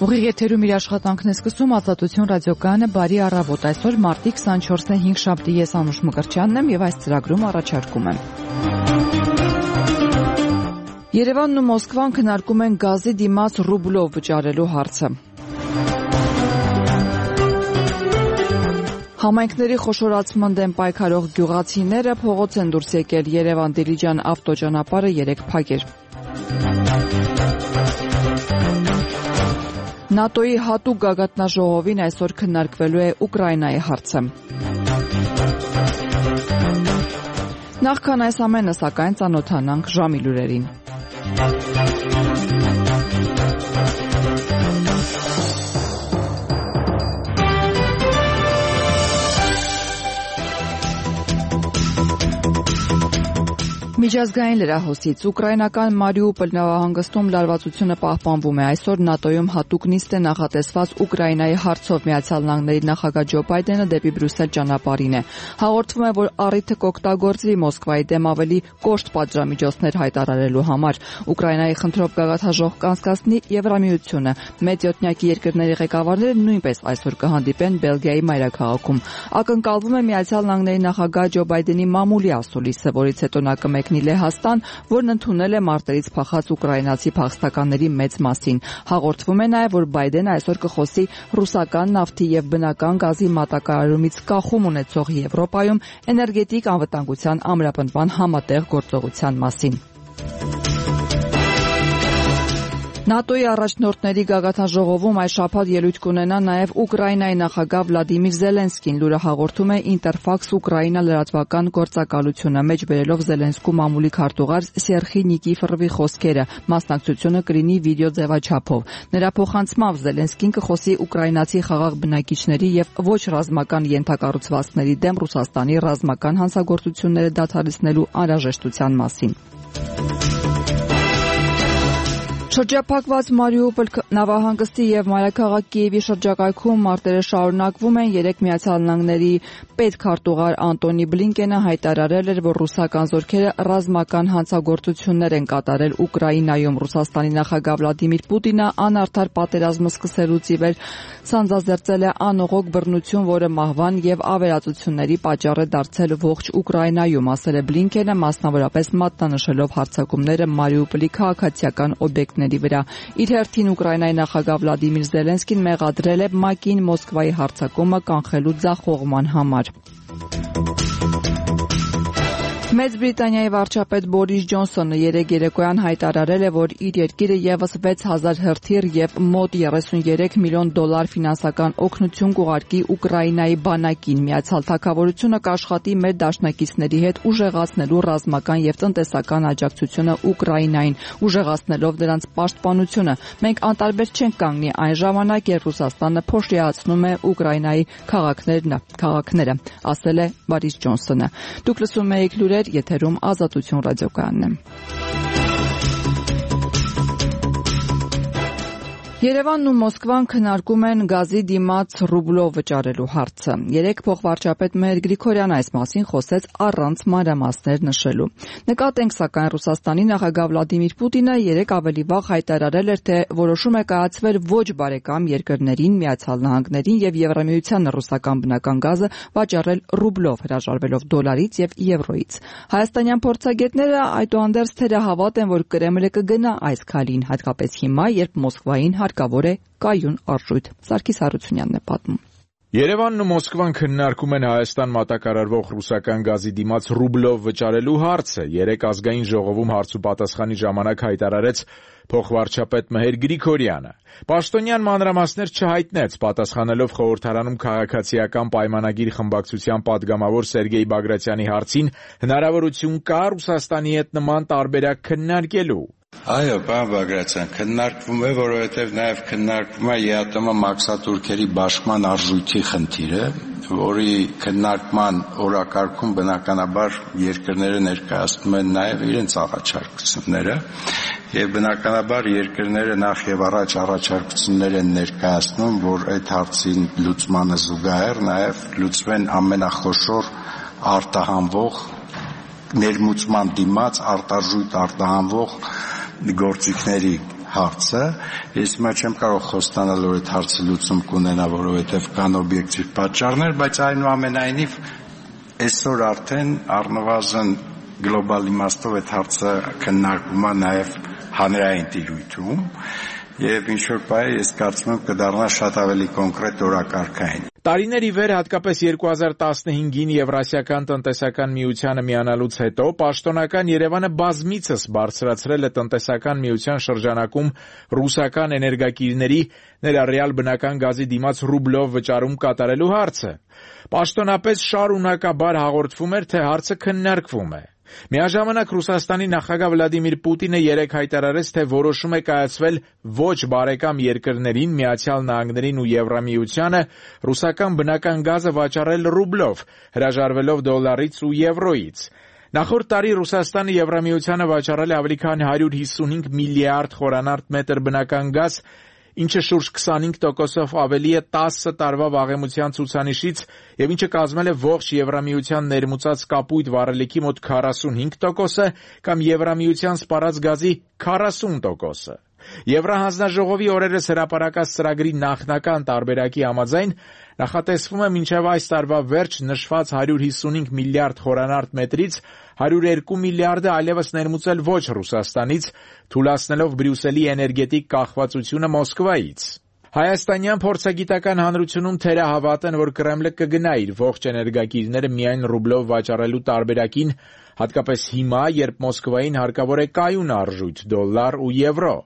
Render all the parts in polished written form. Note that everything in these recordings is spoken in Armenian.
Ուղիղ եթերում իր աշխատանքն է սկսում Ազատություն ռադիոկայանը բարի առավոտ։ Այսօր մարտի 24-ը 5 շաբթի, ես Անուշ Մկրտչյանն եմ եւ այս ծրագրում առաջարկում եմ։ Երևանն ու Մոսկվան քննարկում են գազի դիմաց ռուբլով վճարելու հարցը։ Համայնքների խոշորացման դեմ պայքարող գյուղացիները փողոց են դուրս եկել, Երևան-Դիլիջան ավտոճանապարհը 3 փակ էր։ ՆԱՏՕ-ի հատուկ գագաթնաժողովին այսօր քննարկվելու է Ուկրաինայի հարցը։ Նախքան այս ամենը, սակայն, ծանոթանանք ժամի լուրերին։ Միջազգային լրահոսից ուկրաինական Մարիուպոլ նավահանգստում լարվածությունը պահպանվում է։ Այսօր ՆԱՏՕ-ում հատուկ նիստ է նախատեսված Ուկրաինայի հարցով։ Միացյալ Նահանգների նախագահ Ջո Բայդենը դեպի Բրյուսել ճանապարհին է։ Հաղորդվում է, որ առիթը կօգտագործվի Մոսկվայի դեմ ավելի կոշտ պատժամիջոցներ հայտարարելու համար։ Ուկրաինայի խնդրով գագաթնաժողով կանցկացնի Եվրամիությունը։ Մեծ յոթնյակի երկրների ղեկավարները նույնպես այսօր կհանդիպեն Բելգիայի մայրաքաղաքում։ Ակնկալվում է Միացյալ Նահանգների նախագահ Ջո Բայդենի մամուլի ասուլիսը, որից հետո նա կմեկնի Լեհաստան, որն ընդունել է մարտերից փախած ուկրաինացի փախստականների մեծ մասին։ Հաղորդվում է նաև, որ Բայդենը այսօր կխոսի ռուսական նավթի եւ բնական գազի մատակարարումից կախում ունեցող Եվրոպայում էներգետիկ անվտանգության ամրապնդման համատեղ գործողության մասին։ ՆԱՏՕ-ի առաջնորդների գագաթնաժողովում այս շաբաթ ելույթ կունենա նաև Ուկրաինայի նախագահ Վլադիմիր Զելենսկին, լուրը հաղորդում է Ինտերֆաքս Ուկրաինա լրատվական գործակալությունը, մեջ բերելով Զելենսկու մամուլի քարտուղար Սերխի Նիկիֆորովի խոսքերը, մասնակցությունը կլինի վիդեո ձևաչափով։ Նրա փոխանցմամբ Զելենսկին կխոսի ուկրաինացի խաղաղ բնակիչների եւ ոչ ռազմական ենթակառուցվածքների դեմ Ռուսաստանի ռազմական հանցագործությունները դադարեցնելու անհրաժեշտության մասին։ Շրջափակված Մարիուպոլ նավահանգստի եւ մայրաքաղաք Կիևի շրջակայքում մարտերը շարունակվում են։ Երեկ Միացյալ Նահանգների պետքարտուղար Անտոնի Բլինկենը հայտարարել էր, որ ռուսական զորքերը ռազմական հանցագործություններ են կատարել Ուկրաինայում։ Ռուսաստանի նախագահ Վլադիմիր Պուտինը անարդար պատերազմը սկսելուց ի վեր սանձազերծել է անողոք բռնություն, որը մահվան եւ ավերածությունների պատճառ է դարձել ողջ Ուկրաինայում, ասել է Բլինկենը, մասնավորապես մատնանշելով հարձակումները Մարիուպոլի քաղաքացիական օբյեկտների վրա։ Իր հերթին Ուկրաինայի նախագահ Վլադիմիր Զելենսկին մեղադրել է ՄԱԿ-ին Մոսկվայի հարձակումը կանխելու ձախողման համար։ Մեծ Բրիտանիայի վարչապետ Բորիս Ջոնսոնը երեկ երեկոյան հայտարարել է, որ իր երկիրը եւս 6000 հրթիռ եւ մոտ 33 միլիոն դոլար ֆինանսական օգնություն կուղարկի Ուկրաինայի բանակին։ Միացյալ Թագավորությունը կաշխատի մեր դաշնակիցների հետ ուժեղացնելու ռազմական եւ տնտեսական աջակցությունը Ուկրաինային, ուժեղացնելով նրանց պաշտպանությունը։ Մենք անտարբեր չենք կանգնի այն ժամանակ, երբ Ռուսաստանը փոշիացնում է Ուկրաինայի քաղաքները, ասել է Բորիս Ջոնսոնը։ Դուք լսում եք լուրեր, եթերում Ազատություն ռադիոկայանն է։ Երևանն ու Մոսկվան քննարկում են գազի դիմաց ռուբլով վճարելու հարցը։ Երեկ փոխվարչապետ Մհեր Գրիգորյանը այս մասին խոսեց առանց մանրամասներ նշելու։ Նկատենք, սակայն Ռուսաստանի նախագահ Վլադիմիր Պուտինը երեկ ավելի վաղ հայտարարել էր, թե որոշում է կայացվել ոչ բարեկամ երկրներին, Միացյալ Նահանգներին եւ Եվրամիությանը ռուսական բնական գազը վաճառել ռուբլով, հրաժարվելով դոլարից եւ եվրոյից։ Հայաստանյան փորձագետները այդուհանդերձ թերահավատ են, որ Կրեմլը կգնա այս քայլին, հատկապես հիմա, երբ Մոսկվային հարկավոր է կայուն արժույթ։ Սարգիս Հարությունյանն է պատմում։ Երևանն ու Մոսկվան քննարկում են Հայաստան մատակարարվող ռուսական գազի դիմաց ռուբլով վճարելու հարցը։ Երեկ ազգային ժողովում հարց ու պատասխանի ժամանակ հայտարարեց փոխվարչապետ Մհեր Գրիգորյանը։ Պաշտոնյան մանրամասներ չհայտնեց, պատասխանելով խորհրդարանում քաղաքացիական պայմանագիր խմբակցության падգամավոր Սերգեյ Բագրատյանի հարցին, հնարավորություն կա Ռուսաստանի հետ նման տարբերակ քննարկելու։ Այո, պարոն Բագրատյան, քննարկվում է, որովհետև նաև քննարկվում է ԵԱՏՄ մաքսատուրքերի բաշխման արժույթի խնդիրը, որի քննարկման օրակարգում բնականաբար երկրները ներկայացնում են նաև իրենց առաջարկությունները, եւ բնականաբար երկրները նախ եւ առաջ առաջարկություններ են ներկայացնում, որ այդ հարցին լուծմանը զուգահեռ նաև լուծվեն ամենախոշոր արտահանվող ներմուծման դիմաց արտարժույթ արտահանվող գործիքների հարցը, ես հիմա չեմ կարող խոստանալ, որ այդ հարցը լուծում կունենա, որովհետև կան օբյեկտիվ պատճառներ, բայց այնուամենայնիվ այսօր արդեն առնվազն գլոբալ իմաստով այդ հարցը քննարկվում է նաև հանրային տիրույթում եւ ինչ-որ բան ես կարծում եմ կդառնա շատ ավելի կոնկրետ օրակարգային։ Տարիներ ի վեր, հատկապես 2015-ին Եվրասիական տնտեսական միությանը միանալուց հետո, պաշտոնական Երևանը բազմիցս բարձրացրել է տնտեսական միության շրջանակում ռուսական էներգակիրների, ներառյալ բնական գազի դիմաց ռուբլով վճարում կատարելու հարցը։ Պաշտոնապես շարունակաբար հաղորդվում էր, թե հարցը քննարկվում է։ Միաժամանակ Ռուսաստանի նախագահ Վլադիմիր Պուտինը երեկ հայտարարեց, թե որոշում է կայացվել ոչ բարեկամ երկրներին, Միացյալ Նահանգներին ու Եվրամիությանը ռուսական բնական գազը վաճառել ռուբլով, հրաժարվելով դոլարից ու եվրոյից։ Նախորդ տարի Ռուսաստանը Եվրամիությանը վաճառել է ավելի քան 155 միլիարդ խորանարդ մետր բնական գազ, ինչը շուրջ 25%-ով ավելի է 10 տարվա վաղեմության ցուցանիշից եւ ինչը կազմել է ողջ Եվրամիության ներմուծած կապույտ վառելիքի մոտ 45%-ը կամ Եվրամիության սպառած գազի 40%-ը։ Եվրահանձնաժողովի օրերս հրապարակած ծրագրի նախնական տարբերակի համաձայն նախատեսվում է մինչև այս տարվա վերջ նշված 155 միլիարդ խորանարդ մետրից 102 միլիարդը այլևս ներմուծել ոչ Ռուսաստանից, թույլատնելով Բրյուսելի էներգետիկ կախվածությունը Մոսկվայից։ Հայաստանյան փորձագիտական հանրությունում թերահավատ են, որ Կրեմլը կգնա իր ողջ էներգակիրները միայն ռուբլով վաճառելու տարբերակին, հատկապես հիմա, երբ Մոսկվային հարկավոր է կայուն արժույթ՝ դոլար ու եվրո։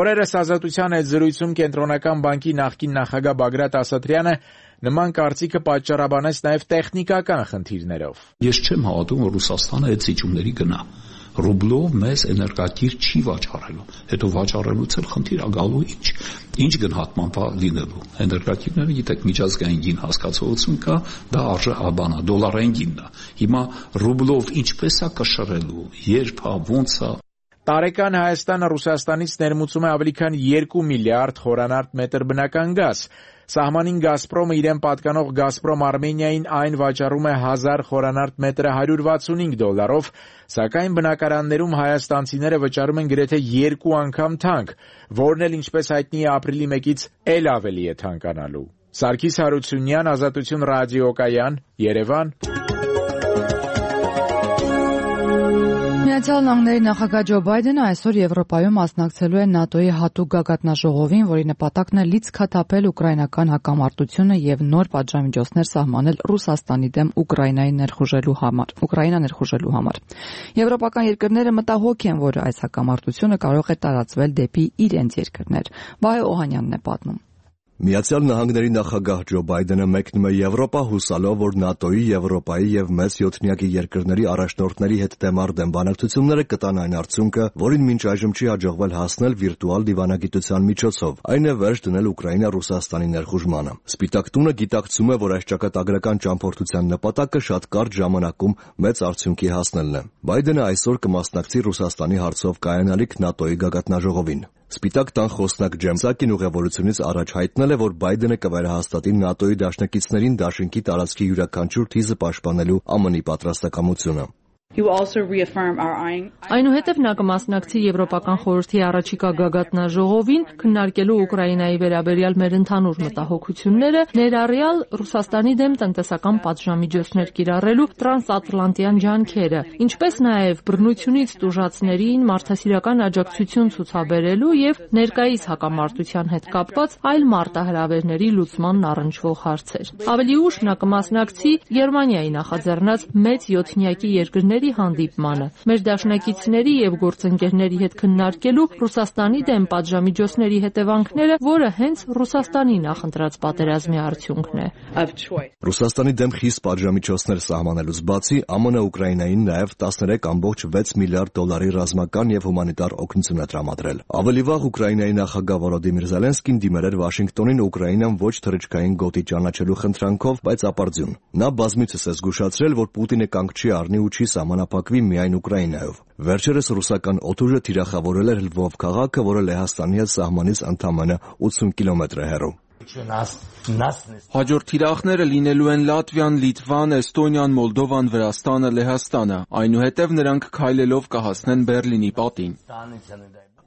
Օրերս Ազատության հետ զրույցում Կենտրոնական բանկի նախկին նախագահ Բագրատ Ասատրյանը նման կարծիքը պատճառաբանեց նաև տեխնիկական խնդիրներով։ Ես չեմ հավատում, որ Ռուսաստանը այդ զիջումների գնա։ Ռուբլով մեզ էներգակիր չի վաճառելու։ Հետո վաճառելուց էլ խնդիր ա գալու ինչ գնահատման բա լինելու։ Էներգակիրները գիտեք միջազգային գին հասկացողություն կա, դա արժե աբանա, դոլարային գինն է։ Հիմա ռուբլով ինչպես է կշռելու, երբ է, ոնց է։ Տարեկան Հայաստանը Ռուսաստանից ներմուծում է ավելի քան 2 միլիարդ խորանարդ մետր բնական գազ։ Սահմանին Գազպրոմը իրեն պատկանող Գազպրոմ Արմենիային այն վաճառում է 1000 խորանարդ մետրը 165 դոլարով, սակայն բնակարաններում հայաստանցիները վճարում են գրեթե 2 անգամ թանկ, որն էլ ինչպես հայտնի է ապրիլի 1-ից էլ ավելի է թանկանալու։ Սարգիս Հարությունյան, Ազատություն ռադիոկայան, Երևան։ Միացյալ Նահանգների նախագահ Ջո Բայդենը այսօր Եվրոպայում մասնակցելու է ՆԱՏՕ-ի հատուկ գագաթնաժողովին, որի նպատակն է լիցքաթափել ուկրաինական հակամարտությունը եւ նոր պատժամիջոցներ սահմանել Ռուսաստանի դեմ Ուկրաինա ներխուժելու համար։ Եվրոպական երկրները մտահոգ են, որ այս հակամարտությունը կարող է տարածվել դեպի իրենց երկրներ։ Վահե Օհանյանն է պատմում։ Միացյալ Նահանգների նախագահ Ջո Բայդենը մեկնում է Եվրոպա հուսալով, որ ՆԱՏՕ-ի, Եվրոպայի եւ մեծ յոթնյակի երկրների առաջնորդների հետ դեմարդեմ բանակցությունները կտան այն արդյունքը, որին մինչ այժմ չի հաջողվել հասնել վիրտուալ դիվանագիտության միջոցով, այն է վերջ դնել Ուկրաինա-Ռուսաստանի ներխուժմանը։ Սպիտակ տունը գիտակցում է, որ այս ճակատագրական ճամփորդության նպատակը շատ կարճ ժամանակում մեծ արդյունքի հասնելն է։ Բայդենը այսօր կմասնակցի Ռուսաստանի հարցով կայանալիք ՆԱՏՕ-ի գագաթնաժողովին։ Սպիտակ տան խոսնակ Ջեմ Սակին ուղևորությունից առաջ հայտնել է, որ Բայդենը կվերահաստատի ՆԱՏՕ-ի դաշնակիցներին դաշինքի տարածքի յուրաքանչյուր թիզը պաշտպանելու ԱՄՆ-ի պատրաստակամությունը։ Այնուհետև նա կմասնակցի Եվրոպական խորհրդի առաջիկա գագաթնաժողովին, քննարկելու Ուկրաինայի վերաբերյալ մեր ընդհանուր մտահոգությունները, ներառյալ Ռուսաստանի դեմ տնտեսական պատժամիջոցներ կիրառելու տրանսատլանտյան ջանքերը, ինչպես նաև բռնությունից տուժածներին մարդասիրական աջակցություն ցուցաբերելու եւ ներկայիս հակամարտության հետ կապված այլ մարտահրավերների լուծմանն առնչվող հարցեր։ Ավելի ուշ նա կմասնակցի Գերմանիայի նախաձեռնած մեծ յոթնյակի երկրների հանդիպմանը, մեր դաշնակիցների եւ գործընկերների հետ քննարկելու Ռուսաստանի դեմ պատժամիջոցների հետևանքները, որը հենց Ռուսաստանի նախընտրած պատերազմի արդյունքն է։ Ռուսաստանի դեմ խիստ պատժամիջոցներ սահմանելուց բացի, ԱՄՆ Ուկրաինային նաև 13.6 միլիարդ դոլարի ռազմական եւ հումանիտար օգնություն է տրամադրել։ Ավելի վաղ Ուկրաինայի նախագահ Վոլոդիմիր Զելենսկին դիմել էր Վաշինգտոնին Ուկրաինան ոչ թռիչքային գոտի ճանաչելու խնդրանքով, բայց ապարդյուն։ Նա բազմիցս է զգուշացրել, որ Պուտինը կանգ չի առնի ու չի սահմանափակվի միայն Ուկրաինայով։ Վերջերս ռուսական օդուժը թիրախավորել էր Լվով քաղաքը, որը Լեհաստանի հետ սահմանից ընդամենը 80 կիլոմետր է հեռու։ Հաջորդ թիրախները լինելու են Լատվիան, Լիտվան, Էստոնիան, Մոլդովան, Վրաստանը, Լեհաստանը։ Այնուհետև նրանք քայլելով կհասնեն Բերլինի պատին։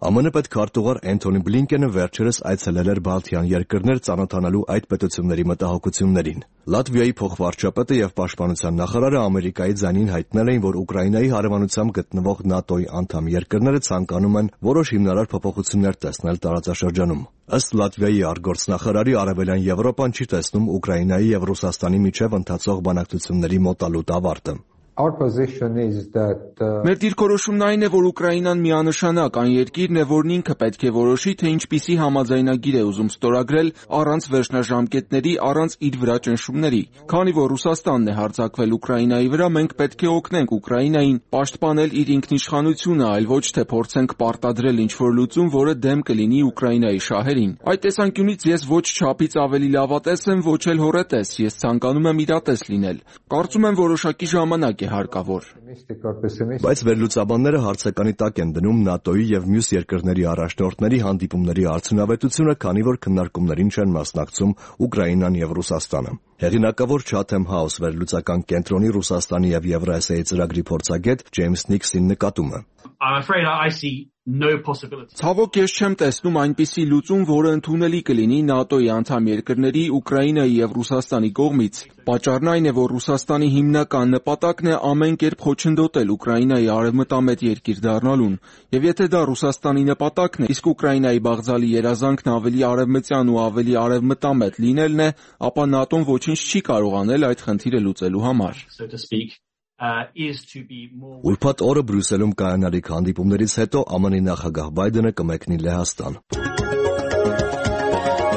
ԱՄՆ պետքարտուղար Էնթոնի Բլինկենը վերջերս այցելել էր Բալթյան երկրներ ծանոթանալու այդ պետությունների մտահոգություններին։ Լատվիայի փոխվարչապետը եւ պաշտպանության նախարարը Ամերիկայի ձայնին հայտնել էին, որ Ուկրաինայի հարևանությամբ գտնվող ՆԱՏՕ-ի անդամ երկրները ցանկանում են որոշ հիմնարար փոփոխություններ տեսնել տարածաշրջանում։ Ըստ Լատվիայի արտգործնախարարի, Արևելյան Եվրոպան չի տեսնում Ուկրաինայի եւ Ռուսաստանի միջև ընթացող բանակցությունների մոտալուտ ավարտը։ Մեր դիրքորոշումն այն է, որ Ուկրաինան միանշանակ այն երկիրն է, որն ինքը պետք է որոշի, թե ինչպիսի համաձայնագիր է ուզում ստորագրել առանց վերջնաժամկետների, առանց իր վրա ճնշումների։ Քանի որ Ռուսաստանն է հարձակվել Ուկրաինայի վրա, մենք պետք է օգնենք Ուկրաինային պաշտպանել իր ինքնիշխանությունը, այլ ոչ թե փորձենք պարտադրել ինչ-որ լուծում, որը դեմ կլինի Ուկրաինայի շահերին։ Այդ տեսանկյունից ես ոչ չափից ավելի լավատես եմ, ոչ էլ հոռետես, ես ցանկանում եմ իրատես լինել։ Կարծում եմ որոշակի ժամանակ հարկավոր։ Բայց վերլուծաբանները հարցականի տակ են դնում ՆԱՏՕ-ի եւ մյուս երկրների առաջնորդների հանդիպումների արդյունավետությունը, քանի որ քննարկումներին չեն մասնակցում Ուկրաինան եւ Ռուսաստանը։ Հեղինակավոր Chatham House վերլուծական կենտրոնի Ռուսաստանի եւ Եվրասիայի ծրագրի փորձագետ Ջեյմս Նիքսին նկատում է. Ցավոք ես չեմ տեսնում այնպիսի լուծում, որը ընդունելի կլինի ՆԱՏՕ-ի անդամ երկրների, Ուկրաինայի եւ Ռուսաստանի կողմից։ Պատճառն այն է, որ Ռուսաստանի հիմնական նպատակն է ամեն կերպ խոչընդոտել Ուկրաինայի արևմտամետ երկիր դառնալուն, եւ եթե դա Ռուսաստանի նպատակն է, իսկ Ուկրաինայի բաղձալի երազանքն ավելի արևմտյան ու ավելի արևմտամետ լինելն է, ապա ՆԱՏՕ-ն ոչինչ չի կարող անել այդ խնդիրը լուծելու համար։ Ուրբաթ օրը Բրյուսելում կայանալիք հանդիպումներից հետո ԱՄՆ նախագահ Բայդենը կմեկնի Լեհաստան։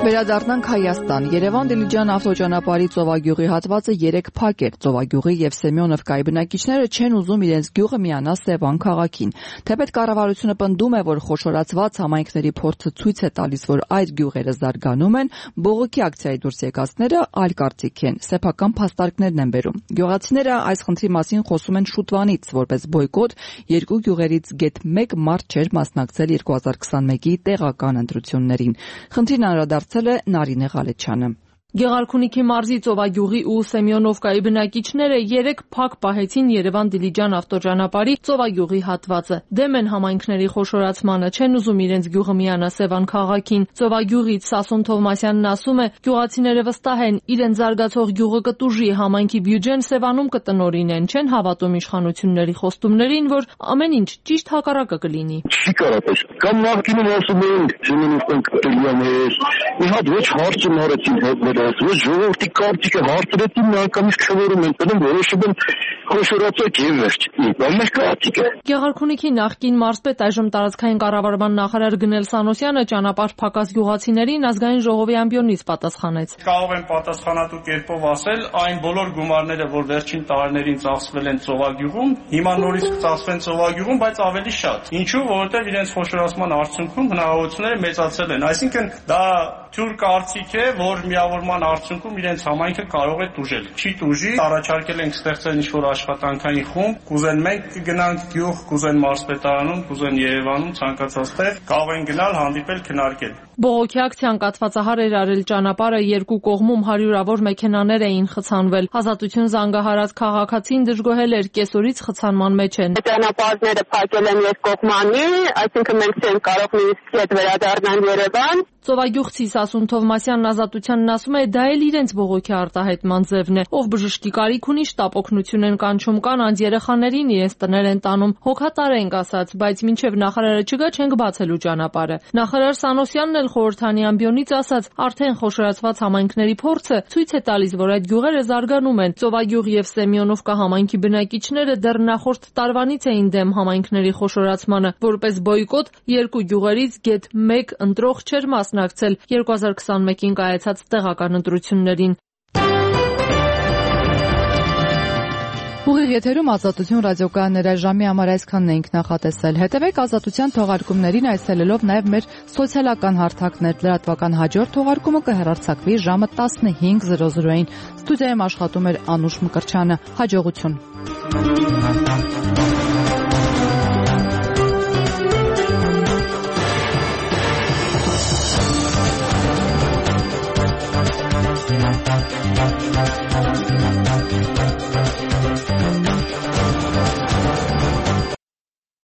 Վերադառնանք Հայաստան։ Երևան-Դիլիջան ավտոճանապարհի Ծովագյուղի հատվածը 3 փակ էր։ Ծովագյուղի եւ Սեմյոնովկայի բնակիչները չեն ուզում իրենց գյուղը միանա Սևան քաղաքին։ Թեպետ կառավարությունը պնդում է, որ խոշորացված համայնքների փորձը ցույց է տալիս, որ այդ գյուղերը զարգանում են, բողոքի ակցիայի դուրս եկածները այլ կարծիք են, սեփական փաստարկներն են բերում։ Գյուղացիները այս խնդրի մասին խոսում են շուտվանից, որպես բոյկոտ, երկու գյուղերից գեթ 1 մարդ չէր մասնակցել 2021-ի տեղական ընտրություններին։ Խնդրին անդրադարձել է Նարինե Ղալեչյանը։ Գեղարքունիքի մարզի Ծովագյուղի ու Սեմյոնովկայի բնակիչները 3 փակ պահեցին Երևան-Դիլիջան ավտոճանապարհի Ծովագյուղի հատվածը։ Դեմ են համայնքների խոշորացմանը, չեն ուզում իրենց գյուղը միանա Սևան քաղաքին։ Ծովագյուղից Սասուն Թովմասյանն ասում է, գյուղացիները վստահ են, իրենց զարգացող գյուղը կտուժի, համայնքի բյուջեն Սևանում կտնօրինեն, չեն հավատում իշխանությունների խոստումներին, որ ամեն ինչ ճիշտ հակառակը կլինի։ Չի կարող կամ նախկինում ասում էին, Սեմյոնովկան կտրիաներ, մի հատ ոչ հարցը մարեցին ոչ ժողովրդի կարծիքը հարցրեցին, միանգամից քվորում են տնում, որոշում են խոշորացեք եւ վերջ։ Ամեն կարծիքը։ Գեղարքունիքի նախկին մարզպետ, այժմ տարածքային կառավարման նախարար Գնել Սանոսյանը ճանապարհ փակած գյուղացիներին ազգային ժողովի ամբիոնից պատասխանեց։ Կարող եմ պատասխանատու կերպով ասել, այն բոլոր գումարները, որ վերջին տարիներին ծախսվել են Ծովագյուղում, հիմա նորից կծախսվեն Ծովագյուղում, բայց ավելի շատ։ Ինչու՞, որովհետեւ իրենց խոշորացման արդյունքում հնարավորությունները մեծացել են։ Այսինքն դա թյուր կարծիք է, որ միավորման արդյունքում իրենց համայնքը կարող է տուժել։ Չի տուժի, առաջարկել ենք ստեղծել ինչ-որ աշխատանքային խումբ, կուզեն մենք կգնանք գյուղ, կուզեն մարզպետարանում, կուզեն Երևանում, ցանկացած տեղ, կարող են գնալ, հանդիպել, քննարկել։ Բողոքի ակցիան կաթվածահար էր արել ճանապարհը, երկու կողմում հարյուրավոր մեքենաներ էին խցանվել։ Ազատություն զանգահարած քաղաքացին դժգոհել էր, կեսօրից խցանման մեջ են։ Ճանապարհները փակել են երկկողմանի, այսինքն մենք չենք կարող նույնիսկ հետ վերադառնալ Երևան։ Ծովագյուղցի Սասուն Թովմասյանն Ազատությանն ասում է, դա էլ իրենց բողոքի արտահայտման ձևն է։ Ով բժշկի կարիք ունի, շտապ օգնություն են կանչում, կանանց երեխաներին իրենց տներ են տանում։ Հոգատար ենք ասած, բայց մինչև նախարարը չգա, չենք բացելու ճանապարհը։ Նախարար Սանոսյանն էլ խորհրդանի ամբիոնից ասաց, արդեն խոշորացված համայնքների փորձը ցույց է տալիս, որ այդ գյուղերը զարգանում են։ Ծովագյուղ եւ Սեմյոնովկա համայնքի բնակիչները դեռ նախորդ տարվանից էին դեմ համայնքների խոշորացմանը, որպես բոյկոտ երկու գյուղերից գեթ 1 ընտրող չէր մասնակցել 2021-ին կայացած տեղական ընտրություններին։ Ուղիղ եթերում Ազատություն ռադիոկայաններ այժմի համար այսքանն էինք նախատեսել։ Հետևեք Ազատության թողարկումներին այցելելով նաև մեր սոցիալական հարթակներ։ Լրատվական հաջորդ թողարկումը կհեռարձակվի ժամը 15:00-ին։ Ստուդիայում աշխատում էր Անուշ Մկրչյանը։ Հաջողություն։